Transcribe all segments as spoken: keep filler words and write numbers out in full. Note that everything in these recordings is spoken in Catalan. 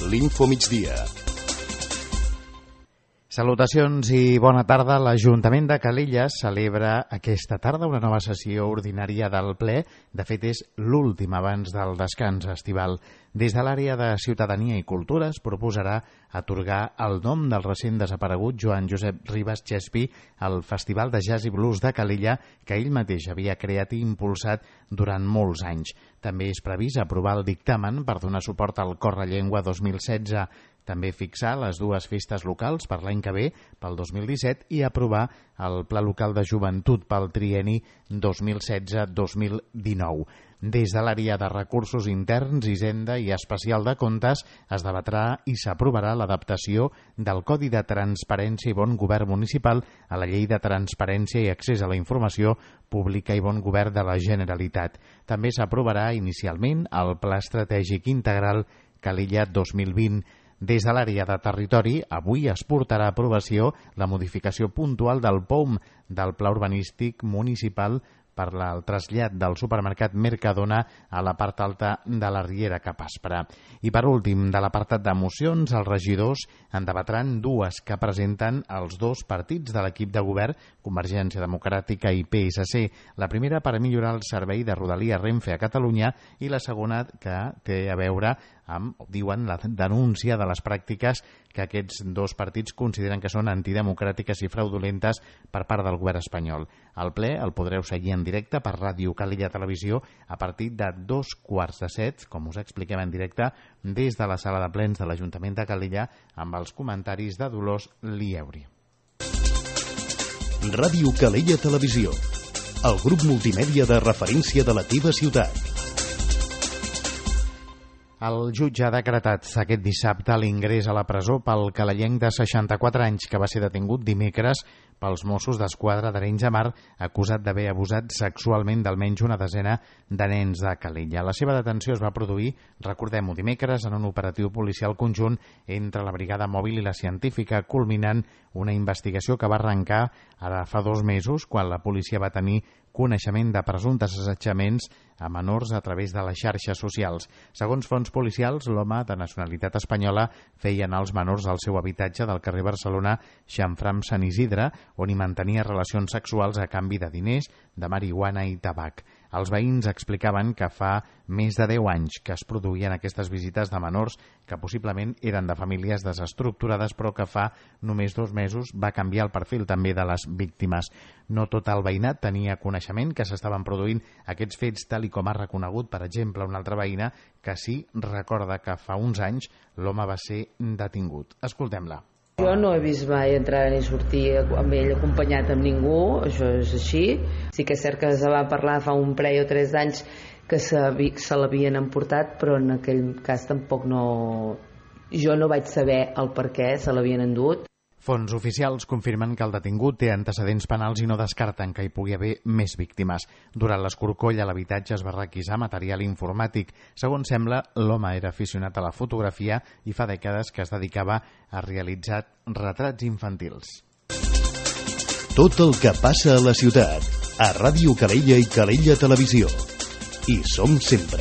l'Infomigdia. Salutacions i bona tarda. L'Ajuntament de Calella celebra aquesta tarda una nova sessió ordinària del ple. De fet, és l'última abans del descans estival. Des de l'àrea de Ciutadania i Cultura es proposarà atorgar el nom del recent desaparegut Joan Josep Ribas Chespi al Festival de Jazz i Blues de Calella, que ell mateix havia creat i impulsat durant molts anys. També és previst aprovar el dictamen per donar suport al Correllengua dos mil setze, també fixar les dues festes locals per l'any que ve, pel dos mil disset, i aprovar el Pla Local de Joventut pel trienni dos mil setze dos mil dinou. Des de l'àrea de Recursos Interns, Hisenda i Especial de Comptes es debatrà i s'aprovarà l'adaptació del Codi de Transparència i Bon Govern Municipal a la Llei de Transparència i Accés a la Informació Pública i Bon Govern de la Generalitat. També s'aprovarà inicialment el Pla Estratègic Integral Calella dos mil vint. Des de l'àrea de territori, avui es portarà a aprovació la modificació puntual del P O M del Pla Urbanístic Municipal per al trasllat del supermercat Mercadona a la part alta de la Riera cap a Aspra. I per últim, de l'apartat de mocions, els regidors en debatran dues que presenten els dos partits de l'equip de govern, Convergència Democràtica i P S C. La primera per millorar el servei de Rodalies Renfe a Catalunya i la segona que té a veure amb, diuen, la denúncia de les pràctiques que aquests dos partits consideren que són antidemocràtiques i fraudulentes per part del govern espanyol. El ple el podreu seguir en directe per Ràdio Calella Televisió a partir de dos quarts de set, com us expliquem en directe, des de la sala de plens de l'Ajuntament de Calella amb els comentaris de Dolors Lieuri. Ràdio Calella Televisió, el grup multimèdia de referència de la teva ciutat. El jutge ha decretat aquest dissabte l'ingrés a la presó pel calellenc de seixanta-quatre anys que va ser detingut dimecres pels Mossos d'Esquadra d'Arenys de Mar, acusat d'haver abusat sexualment d'almenys una desena de nens de Calella. La seva detenció es va produir, recordem-ho, dimecres en un operatiu policial conjunt entre la Brigada Mòbil i la Científica, culminant una investigació que va arrencar ara fa dos mesos, quan la policia va tenir coneixement de presumptes assetjaments a menors a través de les xarxes socials. Segons fonts policials, l'home de nacionalitat espanyola feia anar els menors al seu habitatge del carrer Barcelona Xamfram Sant Isidre, on hi mantenia relacions sexuals a canvi de diners, de marihuana i tabac. Els veïns explicaven que fa més de deu anys que es produïen aquestes visites de menors que possiblement eren de famílies desestructurades, però que fa només dos mesos va canviar el perfil també de les víctimes. No tot el veïnat tenia coneixement que s'estaven produint aquests fets, tal i com ha reconegut, per exemple, una altra veïna que sí recorda que fa uns anys l'home va ser detingut. Escoltem-la. Jo no he vist mai entrar ni sortir amb ell acompanyat amb ningú, això és així. Sí que és cert que se va parlar fa un parell o tres anys que se, se l'havien emportat, però en aquell cas tampoc no... Jo no vaig saber el per què se l'havien endut. Fonts oficials confirmen que el detingut té antecedents penals i no descarten que hi pugui haver més víctimes. Durant l'escorcoll a l'habitatge es va requisar material informàtic. Segons sembla, l'home era aficionat a la fotografia i fa dècades que es dedicava a realitzar retrats infantils. Tot el que passa a la ciutat, a Ràdio Calella i Calella Televisió. Hi som sempre.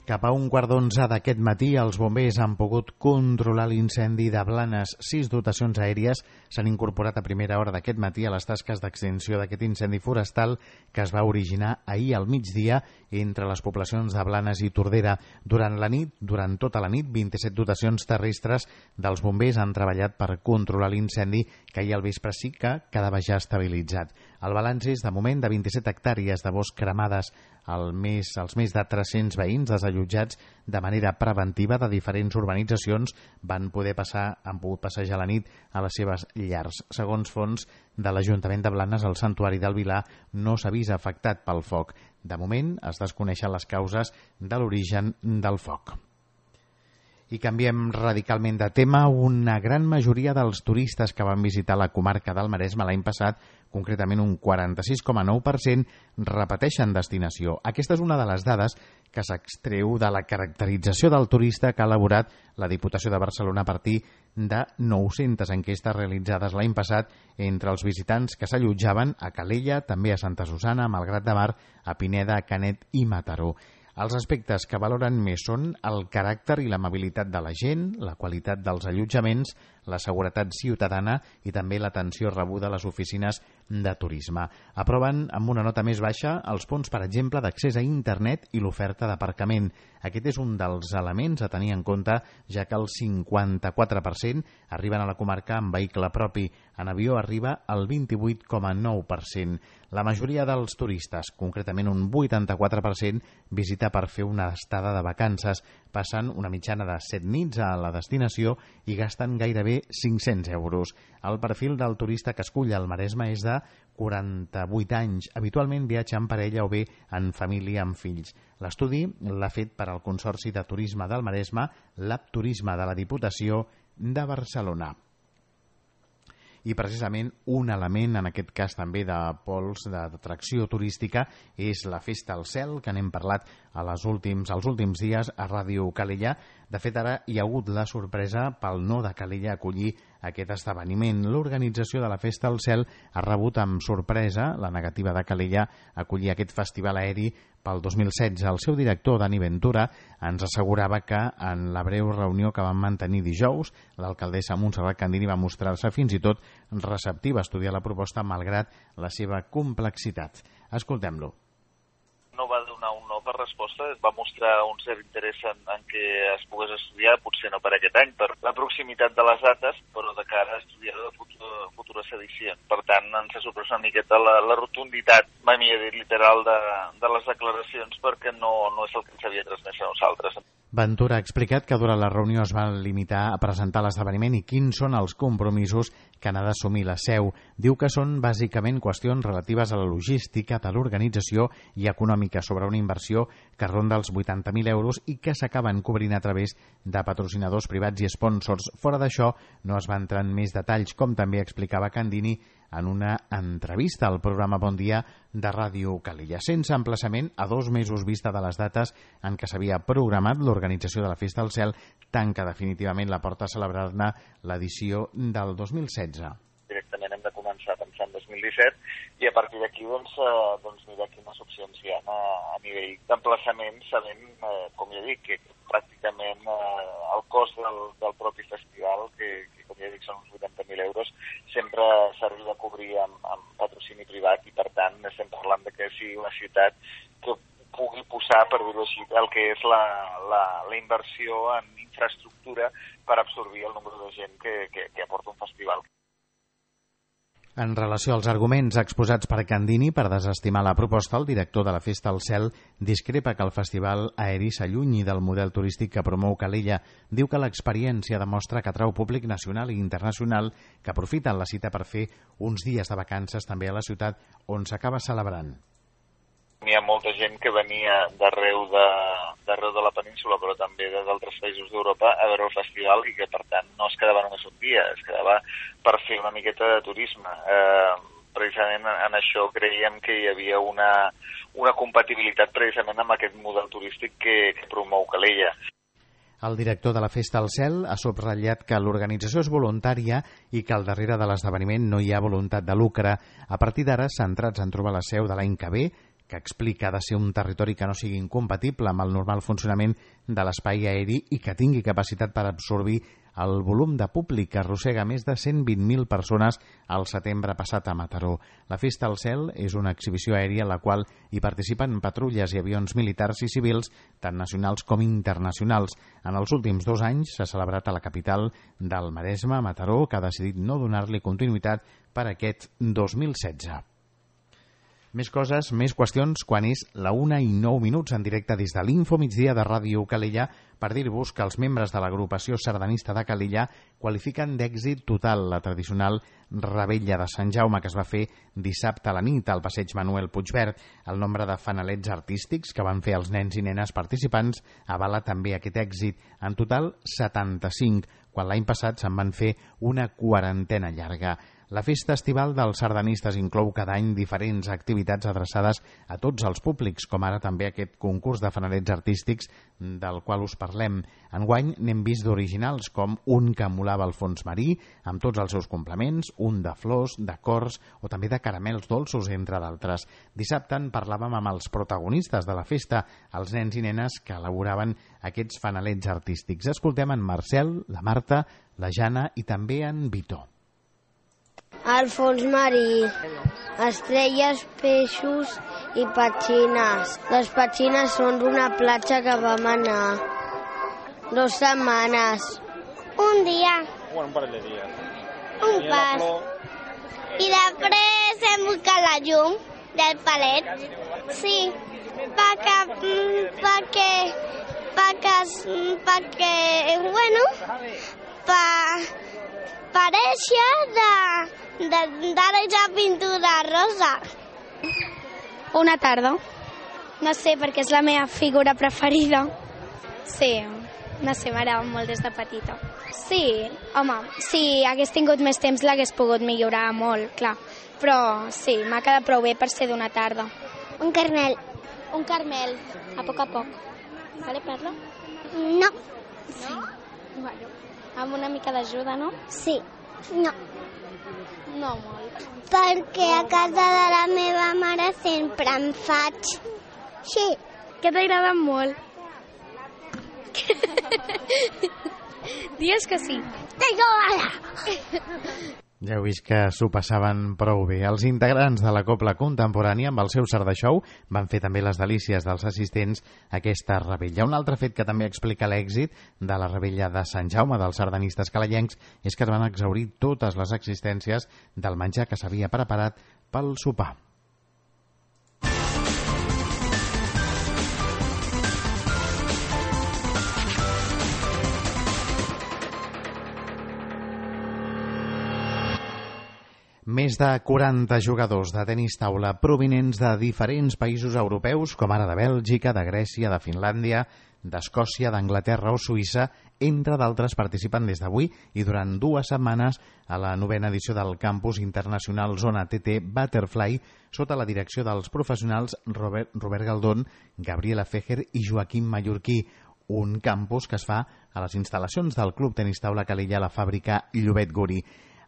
Cap a un quart d'onze d'aquest matí, els bombers han pogut controlar l'incendi de Blanes. Sis dotacions aèries s'han incorporat a primera hora d'aquest matí a les tasques d'extinció d'aquest incendi forestal que es va originar ahir al migdia entre les poblacions de Blanes i Tordera. Durant la nit, durant tota la nit, vint-i-set dotacions terrestres dels bombers han treballat per controlar l'incendi que ahir al vespre sí que quedava ja estabilitzat. El balanç és, de moment, de vint-i-set hectàrees de bosc cremades. El més, els més de tres-cents veïns desallotjats de manera preventiva de diferents urbanitzacions van poder passar, han pogut passejar la nit a les seves llars. Segons fons de l'Ajuntament de Blanes, el Santuari del Vilar no s'ha vist afectat pel foc. De moment es desconeixen les causes de l'origen del foc. I canviem radicalment de tema. Una gran majoria dels turistes que van visitar la comarca del Maresme l'any passat, concretament un quaranta-sis coma nou per cent, repeteixen destinació. Aquesta és una de les dades que s'extreu de la caracterització del turista que ha elaborat la Diputació de Barcelona a partir de nou-centes enquestes realitzades l'any passat entre els visitants que s'allotjaven a Calella, també a Santa Susana, a Malgrat de Mar, a Pineda, a Canet i Mataró. Els aspectes que valoren més són el caràcter i l'amabilitat de la gent, la qualitat dels allotjaments, la seguretat ciutadana i també l'atenció rebuda a les oficines de turisme. Aproven amb una nota més baixa els punts, per exemple, d'accés a internet i l'oferta d'aparcament. Aquest és un dels elements a tenir en compte, ja que el cinquanta-quatre per cent arriben a la comarca amb vehicle propi. En avió arriba el vint-i-vuit coma nou per cent. La majoria dels turistes, concretament un vuitanta-quatre per cent, visita per fer una estada de vacances, passen una mitjana de set nits a la destinació i gasten gairebé cinc-cents euros. El perfil del turista que escull el Maresme és de quaranta-vuit anys. Habitualment viatja en parella o bé en família amb fills. L'estudi l'ha fet per al Consorci de Turisme del Maresme, l'App Turisme de la Diputació de Barcelona. I precisament un element, en aquest cas també de pols d'atracció turística, és la Festa al Cel, que n'hem parlat a les últims, als últims dies a Ràdio Calella. De fet, ara hi ha hagut la sorpresa pel no de Calella acollir aquest esdeveniment. L'organització de la Festa al Cel ha rebut amb sorpresa la negativa de Calella a acollir aquest festival aeri pel dos mil setze. El seu director, Dani Ventura, ens assegurava que en la breu reunió que van mantenir dijous, l'alcaldessa Montserrat Candini va mostrar-se fins i tot receptiva a estudiar la proposta malgrat la seva complexitat. Escoltem-lo. No va donar un no per resposta, va mostrar un cert interès en, en què es pogués estudiar, potser no per aquest any, per la proximitat de les dates, però de cara a estudiar de futur, futures edicions. Per tant, ens ha sorprès una miqueta la, la rotunditat, mai millor dit, literal de, de les declaracions, perquè no, no és el que ens havia transmès a nosaltres. Ventura ha explicat que durant la reunió es va limitar a presentar l'esdeveniment i quins són els compromisos que n'ha d'assumir la seu. Diu que són bàsicament qüestions relatives a la logística de l'organització i econòmica sobre una inversió que ronda els vuitanta mil euros i que s'acaben cobrint a través de patrocinadors privats i sponsors. Fora d'això, no es va entrar en més detalls, com també explicava Candini en una entrevista al programa Bon Dia de Ràdio Calella, sense emplaçament a dos mesos vista de les dates en què s'havia programat l'organització de la Festa al Cel, tanca definitivament la porta a celebrar-ne l'edició del dos mil setze. Directament hem de començar a pensar en dos mil disset i a partir d'aquí doncs, eh, doncs mirar quines opcions hi ha a, a nivell d'emplaçament, sabent, eh, com ja dic, que pràcticament eh, el cost del, del propi festival, que, que com ja dic són uns vuitanta mil euros, sempre s'arriba a cobrir amb, amb patrocini privat i per tant estem parlant de que sigui una ciutat que pugui posar, per dir-ho així, el que és la, la, la inversió en infraestructura per absorbir el número de gent que, que, que aporta un festival. En relació als arguments exposats per Candini per desestimar la proposta, el director de la Festa al Cel discrepa que el festival aeri s'allunyi del model turístic que promou Calella. Diu que l'experiència demostra que atrau públic nacional i internacional que aprofiten la cita per fer uns dies de vacances també a la ciutat on s'acaba celebrant. Hi ha molta gent que venia d'arreu de, d'arreu de la península, però també d'altres països d'Europa a veure el festival i que, per tant, no es quedava només un dia, es quedava per fer una miqueta de turisme. Eh, precisament en això creiem que hi havia una, una compatibilitat precisament amb aquest model turístic que, que promou Calella. El director de la Festa al Cel ha subratllat que l'organització és voluntària i que al darrere de l'esdeveniment no hi ha voluntat de lucre. A partir d'ara, centrats en trobar la seu de l'any que ve, que explica ha de ser un territori que no sigui incompatible amb el normal funcionament de l'espai aeri i que tingui capacitat per absorbir el volum de públic que arrossega més de cent vint mil persones al setembre passat a Mataró. La Festa al Cel és una exhibició aèria en la qual hi participen patrulles i avions militars i civils, tant nacionals com internacionals. En els últims dos anys s'ha celebrat a la capital del Maresme, Mataró, que ha decidit no donar-li continuïtat per aquest dos mil setze. Més coses, més qüestions, quan és la una i nou minuts en directe des de l'Info Migdia de Ràdio Calella per dir-vos que els membres de l'agrupació sardanista de Calella qualifiquen d'èxit total la tradicional Revetlla de Sant Jaume que es va fer dissabte a la nit al passeig Manuel Puigverd. El nombre de fanalets artístics que van fer els nens i nenes participants avala també aquest èxit. En total, setanta-cinc, quan l'any passat se'n van fer una quarantena llarga. La festa estival dels sardanistes inclou cada any diferents activitats adreçades a tots els públics, com ara també aquest concurs de fanalets artístics del qual us parlem. Enguany n'hem vist d'originals, com un que emulava el fons marí, amb tots els seus complements, un de flors, de cors o també de caramels dolços, entre d'altres. Dissabte en parlàvem amb els protagonistes de la festa, els nens i nenes que elaboraven aquests fanalets artístics. Escoltem en Marcel, la Marta, la Jana i també en Vito. El fons marí, estrelles, peixos i petxines. Les petxines són d'una platja que vam anar dues setmanes. Un dia. Bueno, un parell de dies. Un pas. I després hem buscat la llum del palet. Sí, perquè, perquè, perquè, perquè, bueno, per, pareixia de... d'arajar pintura rosa. Una tarda. No sé, perquè és la meva figura preferida. Sí, no sé, m'agrada molt des de petita. Sí, home, si hagués tingut més temps l'hagués pogut millorar molt, clar. Però sí, m'ha quedat prou bé per ser d'una tarda. Un carmel. Un carmel, a poc a poc. Vale, Perla? No. Sí. Bueno, amb una mica d'ajuda, no? Sí. No. No molt. Perquè a casa de la meva mare sempre en faig. Sí. Que t'agrada molt. Dies que sí. Tengo gana. Ja heu vist que s'ho passaven prou bé. Els integrants de la Cobla Contemporània amb el seu Sardà Show van fer també les delícies dels assistents a aquesta revetlla. Un altre fet que també explica l'èxit de la revetlla de Sant Jaume dels sardanistes calellencs és que es van exhaurir totes les existències del menjar que s'havia preparat pel sopar. Més de quaranta jugadors de tenis taula provinents de diferents països europeus, com ara de Bèlgica, de Grècia, de Finlàndia, d'Escòcia, d'Anglaterra o Suïssa, entre d'altres, participen des d'avui i durant dues setmanes a la novena edició del Campus Internacional Zona T T Butterfly, sota la direcció dels professionals Robert, Robert Galdón, Gabriela Fejer i Joaquim Mallorquí, un campus que es fa a les instal·lacions del Club Tenis Taula Calella a la fàbrica Llobet Guri.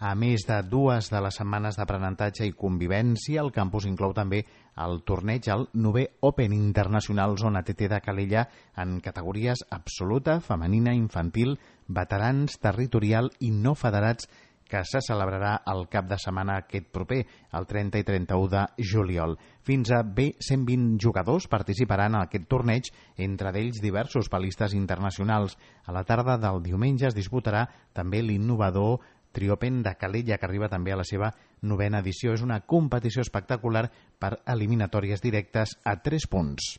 A més de dues de les setmanes d'aprenentatge i convivència, el campus inclou també el torneig al novè Open Internacional Zona T T de Calella en categories absoluta, femenina, infantil, veterans, territorial i no federats, que se celebrarà el cap de setmana aquest proper, el trenta i trenta-u de juliol. Fins a bé cent vint jugadors participaran en aquest torneig, entre d'ells diversos palistes internacionals. A la tarda del diumenge es disputarà també l'innovador Triopen de Calella, que arriba també a la seva novena edició. És una competició espectacular per eliminatòries directes a tres punts.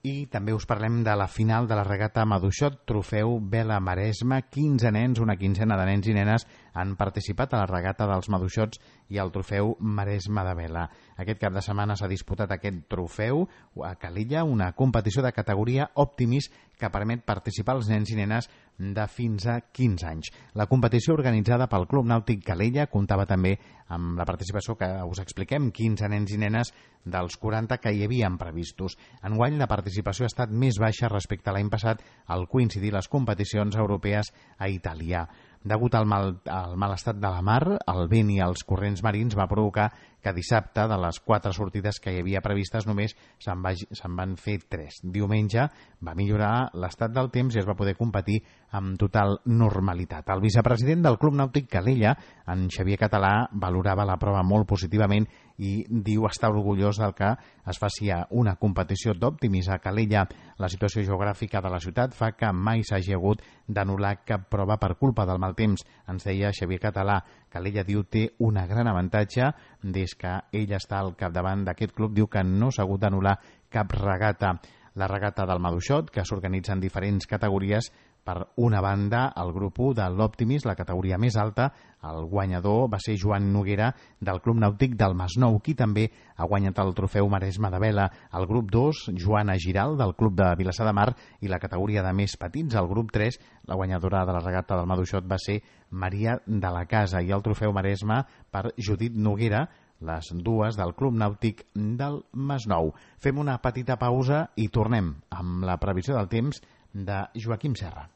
I també us parlem de la final de la regata Maduixot, trofeu Vela Maresme. quinze nens, una quinzena de nens i nenes han participat a la regata dels Maduixots i al trofeu Maresme de Vela. Aquest cap de setmana s'ha disputat aquest trofeu a Calella, una competició de categoria Optimis que permet participar als nens i nenes de fins a quinze anys. La competició organitzada pel Club Nàutic Calella comptava també amb la participació que us expliquem, quinze nens i nenes dels quaranta que hi havien previstos. Enguany la participació ha estat més baixa respecte a l'any passat al coincidir les competicions europees a Itàlia. Degut al mal, al mal estat de la mar, el vent i els corrents marins va provocar que dissabte, de les quatre sortides que hi havia previstes, només se'n va, se'n van fer tres. Diumenge va millorar l'estat del temps i es va poder competir amb total normalitat. El vicepresident del Club Nàutic Calella, en Xavier Català, valorava la prova molt positivament i diu estar orgullós del que es faci una competició d'Optimis a Calella. La situació geogràfica de la ciutat fa que mai s'hagi hagut d'anul·lar cap prova per culpa del mal temps. Ens deia Xavier Català. Calella, diu, té una gran avantatge. Des que ell està al capdavant d'aquest club, diu que no s'ha hagut d'anul·lar cap regata. La regata del Maduixot, que s'organitza en diferents categories, Per una banda, el grup u de l'Optimis, la categoria més alta, el guanyador va ser Joan Noguera del Club Nàutic del Masnou, qui també ha guanyat el trofeu Maresme de Vela. El grup dos, Joana Giral del Club de Vilassar de Mar, i la categoria de més petits, el grup tres, la guanyadora de la regata del Maduixot va ser Maria de la Casa, i el trofeu Maresme per Judit Noguera, les dues del Club Nàutic del Masnou. Fem una petita pausa i tornem amb la previsió del temps de Joaquim Serra.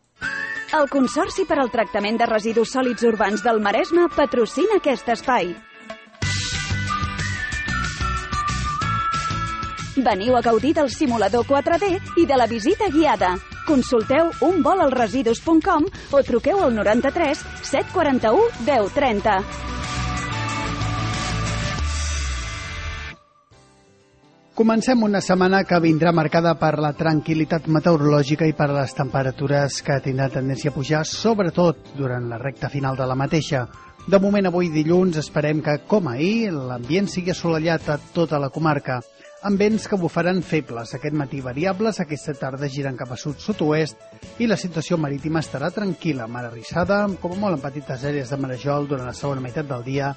El Consorci per al Tractament de Residus Sòlids Urbans del Maresme patrocina aquest espai. Veniu a gaudir del simulador quatre D i de la visita guiada. Consulteu un vol als residus punt com o truqueu al noranta-tres set quaranta-u deu trenta. Comencem una setmana que vindrà marcada per la tranquil·litat meteorològica i per les temperatures que tindran tendència a pujar, sobretot durant la recta final de la mateixa. De moment, avui dilluns, esperem que, com ahir, l'ambient sigui assolellat a tota la comarca, amb vents que bufaran febles, aquest matí variables, aquesta tarda giren cap a sud-sud-oest i la situació marítima estarà tranquil·la, mar arrissada, com a molt en petites àrees de marejol durant la segona meitat del dia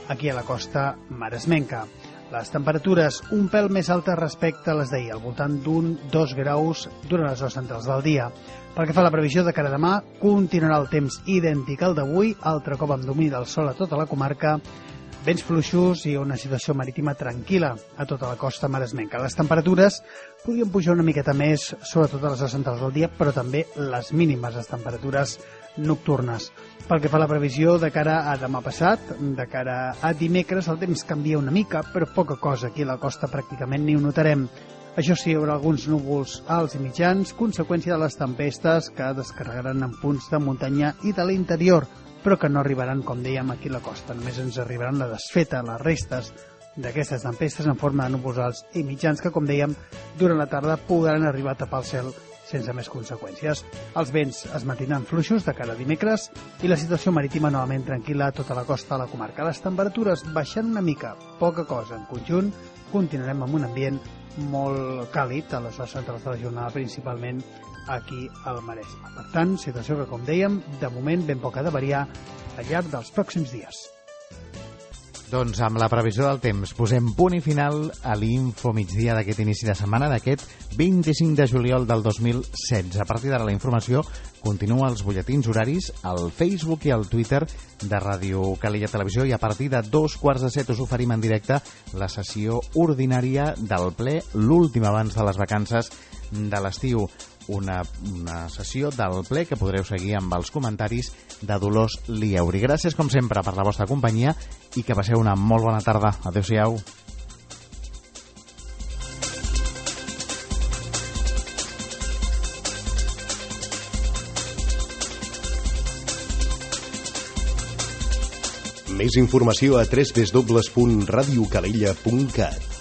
aquí a la costa maresmenca. Les temperatures un pèl més altes respecte a les d'ahir, al voltant d'un dos graus durant les hores centrals del dia. Pel que fa a la previsió de cara a demà, continuarà el temps idèntic al d'avui, altre cop amb domini del sol a tota la comarca, vents fluixos i una situació marítima tranquil·la a tota la costa maresmenca. Les temperatures podrien pujar una miqueta més, sobretot a les hores centrals del dia, però també les mínimes, les temperatures nocturnes. Pel que fa a la previsió de cara a demà passat, de cara a dimecres, el temps canvia una mica, però poca cosa. Aquí a la costa pràcticament ni ho notarem. Això sí, hi haurà alguns núvols alts i mitjans, conseqüència de les tempestes que descarregaran en punts de muntanya i de l'interior, però que no arribaran, com dèiem, aquí a la costa. Només ens arribaran la desfeta, les restes d'aquestes tempestes en forma de núvols alts i mitjans que, com dèiem, durant la tarda podran arribar a tapar el cel sense més conseqüències. Els vents es mantindran fluixos de cara a dimecres i la situació marítima novament tranquil·la a tota la costa de la comarca. Les temperatures baixant una mica, poca cosa. En conjunt, continuarem amb un ambient molt càlid a les hores centrals de la jornada, principalment aquí al Maresme. Per tant, situació que, com dèiem, de moment ben poca de variar al llarg dels pròxims dies. Doncs amb la previsió del temps posem punt i final a l'Info Migdia d'aquest inici de setmana, d'aquest vint-i-cinc de juliol del dos mil setze. A partir d'ara la informació continua als butlletins horaris, al Facebook i al Twitter de Ràdio Calella Televisió, i a partir de dos quarts de set us oferim en directe la sessió ordinària del ple, l'últim abans de les vacances de l'estiu. Una, una sessió del ple que podreu seguir amb els comentaris de Dolors Lieuri. Gràcies, com sempre, per la vostra companyia i que passeu una molt bona tarda. Adéu-siau. Més informació a w w w punt radio calella punt cat.